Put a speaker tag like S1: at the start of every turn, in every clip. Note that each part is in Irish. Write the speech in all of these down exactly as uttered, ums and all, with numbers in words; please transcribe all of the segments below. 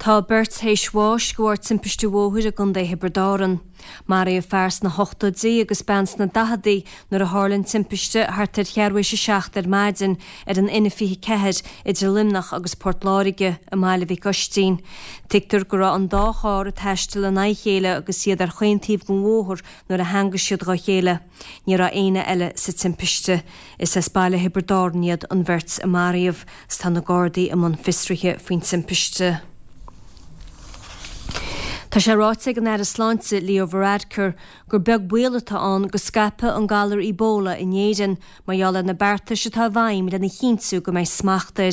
S1: Tá beirt théis bháis de bharr timpiste bhóthair i gContae Thiobraid Árann. Maraíodh fear sna hochtóidí agus bean sna daicheadaí nuair a tharla an timpiste thart ar cheathrú théis a seacht ar maidin ar an N fiche ceathair idir Luimneach agus Port Láirge i mBaile Mhic Oistín. Tuigtear go raibh an dá charr ag taisteal in aghaidh a chéile agus iad ar chaon taobh den bhóthar nuair a theangaigh siad dá chéile. Ní raibh éinne eile sa timpiste. Is as baile Thiobraid Árann iad an bheirt a maraíodh, 's tá na Gardaí i mbun fiosraithe faoin timpiste. Tá sé ráite ag an Aire Sláinte Leo Varadkar gur beag baol atá ann go scaipfeadh an galar Ebola in Éirinn mar gheall ar na beartais atá i bhfeidhm lena chinntiú go mbeidh smacht air.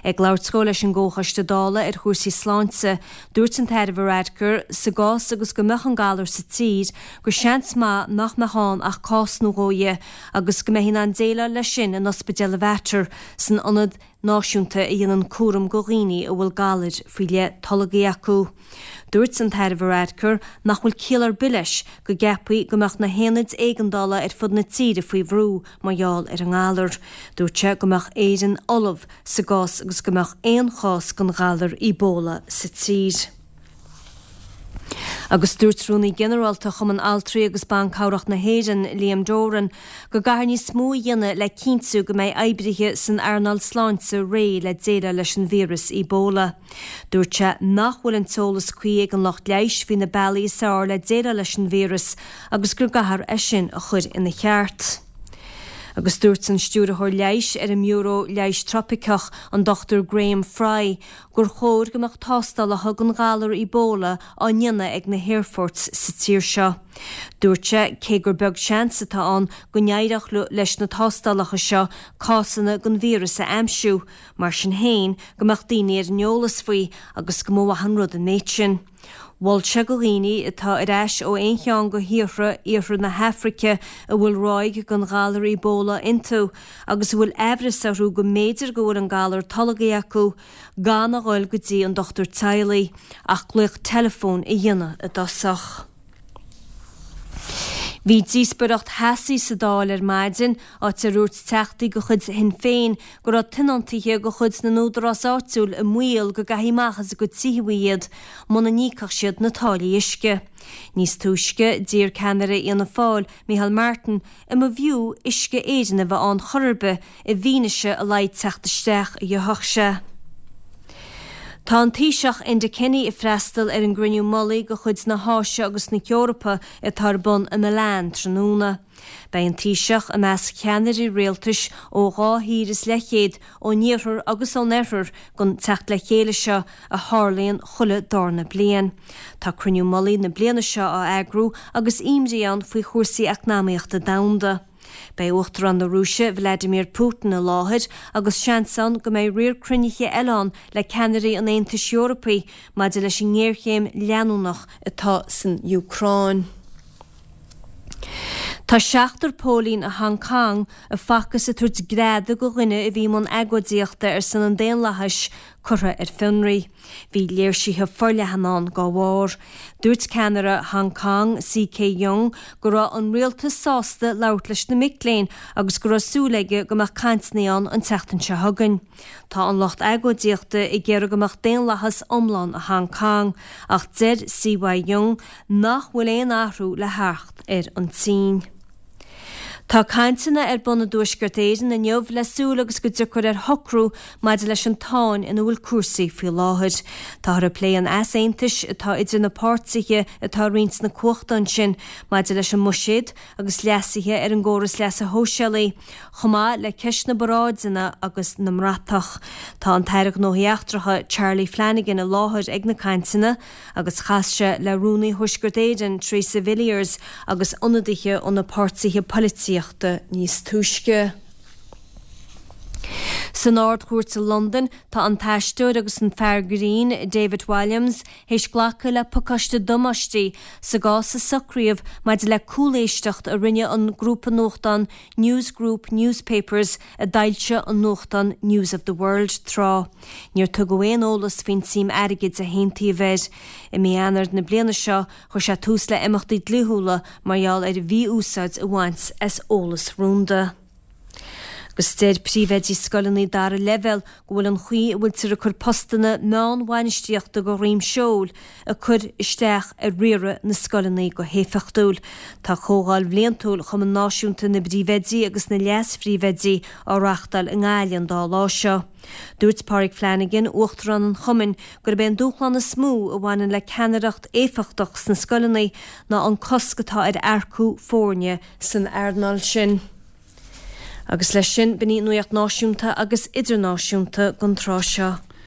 S1: Ag labhairt dó leis an gComhchoiste Dála ar chúrsaí sláinte, dúirt an tAire Varadkar sa gcás agus go mbeadh an galar sa tír gur seans maith nach mbeadh ann ach cás nó dhó dhe agus go mbeifí in ann déileáil leis sin in ospidéal an Mhater san ionad náisiúnta a dhéanann cúram go dhaoine a bhfuil galair faoi leith tolgtha acu. Dúirt an tAire Varadkar nach bhfuil ciall ar bith leis go gceapfaí go mbeadh na haonaid éigeandála ar fud na tíre faoi bhrú mar gheall ar an ngalar. Dúirt sé go mbeadh Éirinn ullamh sa gcás agus go mbeadh aon chás den ghalar Ebola sa tír. Agus dúirt Rúnaí Ginearálta Chumann Altraí agus Ban Cabhrach na hÉireann, Liam Doran, go gcaithfear níos mó a dhéanamh le cinntiú go mbeidh oibrithe san earnáil sláinte réidh le déileáil leis an víreas Ebola. Dúirt sé nach bhfuil an t-eolas cuí ag an lucht leighis faoi na bealaí is fearr le déileáil leis an víreas agus go gcaithfear é sin a chur ina cheart. Agus dúirt an stiúrthóir leighis ar an mBiúró Leighis Trópaiceach, an Dochtúir Graham Fry, gur chóir go mbeadh tástálacha don ghalar Ebola á ndéanamh ag na haerfoirt sa tír seo. Dúirt sé cé gur beag seans atá ann go n-éireodh leis na tástálacha seo cásanna den víreas a aimsiú, mar sin féin go mbeadh daoine ar an eolas faoi agus go mba mhaith an rud an méid sin. Mhol sé go dhaoine atá ar ais ó aon cheann de thíortha iarthar na hAfraice a bhfuil ráig den ghalar Ebola iontu agus a bhfuil aimhreas orthu go mb'fhéidir go bhfuil an galar tolgtha acu, gan a dhul go dtí an dochtúir teaghlaigh ach glaoch teileafóin a dhéanamh i dtosach. Bhí díospóireacht theasaí sa Dáil ar maidin, áit ar dhúirt teachtaí de chuid Shinn Féin go raibh tionóntaithe de chuid na n-údarás áitiúil i mbaol go gcaithfí amach as a gcuid tithe iad muna n-íocfadh siad na táillí uisce. Níos túisce, d'iarr ceannaire Fhianna Fáil, Micheál Martin, an mb'fhiú Uisce Éireann a bheith ann chor ar bith i bhfianaise a laghad teacht isteach a gheobhadh sé. Tá an Taoiseach Enda Kenny ag freastal ar an gcruinniú mullaigh de chuid na hÁise agus na hEorpa atá ar bun i Milan tráthnóna. Beidh an Taoiseach i measc cheannairí rialtais ó dhá thír is leathchéad ón iarthar agus ón oirthear don teacht le chéile seo a tharlaíonn chuile darna bliain. Tá cruinniú mullaigh na bliana seo á eagrú agus imní ann faoi chúrsaí eacnamaíochta domhanda. Beidh Uachtarán na Rúise Vladimir Putin i láthair agus seans ann go mbeidh riar cruinnithe eile ann le ceannairí an Aontais Eorpaigh maidir leis an ngéarchéim leanúnach atá san Úcráin. Tá seachtar póilín i Hong Kong a facthas ag tabhairt greadadh do dhuine a bhí i mbun agóidíochta ar son an daonlathais curtha ar fionraí. Bhí léirsithe forleathan ann dá bharr. Dúirt ceannaire Hong Kong C K Yeung go raibh an rialtas sásta labhairt leis na mic léinn agus go raibh súil aige go mbeadh cainteanna ann an tseachtain seo chugainn. Tá an lucht agóidíochta ag iarraidh go mbeadh daonlathas iomlán i Hong Kong ach deir C Y Yeung nach bhfuil aon athrú le theacht ar an tSín. Tá cainteanna ar bun i dTuaisceart Éireann inniu le súil agus go dtiocfar ar shocrú maidir leis an tsáinn ina bhfuil cúrsaí faoi láthair. Táthar ag plé an easaontais atá idir na páirtithe atá ag roinnt na cumhachta ansin maidir leis an mbuiséad agus leasuithe ar an gcóras leasa shóisialaigh, chomh maith le ceist na bparáideanna agus na mbratach. Tá an tAire Gnóthaí Eachtracha Charlie Flanagan i láthair ag na cainteanna agus chas sé le Rúnaí Thuaisceart Éireann Theresa Villiers agus ionadaithe ó na páirtithe polaitíochta níos túisce. San Ard-Chúirt i Londain tá an t-aisteoir agus an fear grinn David Walliams théis glacadh le pacáiste damáistí sa gcás a socraíodh maidir le cúléisteacht a rinne an grúpa nuachtán News Group Newspapers a d'fhoilsigh an nuachtán News of the World tráth. Níor tugadh aon eolas faoin tsuim airgid a haontaíodh air. I mí Eanáir na bliana seo chuir sé tús le imeachtaí dlíthiúla mar gheall ar mhí-úsáid a bhaint as eolas rúnda. Agus deir príomhoidí scoileanna dara leibhéal go bhfuil an chaoi a bhfuiltear ag cur postanna meánbhainistíochta go dhroim seoil ag cur isteach ar riaradh na scoileanna go héifeachtúil. Tá comhdháil bhliantúil Chumann Náisiúnta na bPríomhoidí agus na Leas-Phríomhoidí á reáchtáil i nGaillimh an dá lá seo. Dúirt Pádraig Flanagan, Uachtarán an Chumainn, gurb é an dúshlán is mó a bhaineann le ceannaireacht éifeachtach sna scoileanna ná an cosc atá ar earcú foirne san earnáil sin. Agus leis sin, b'in í nuacht náisiúnta agus idirnáisiúnta don tráth seo.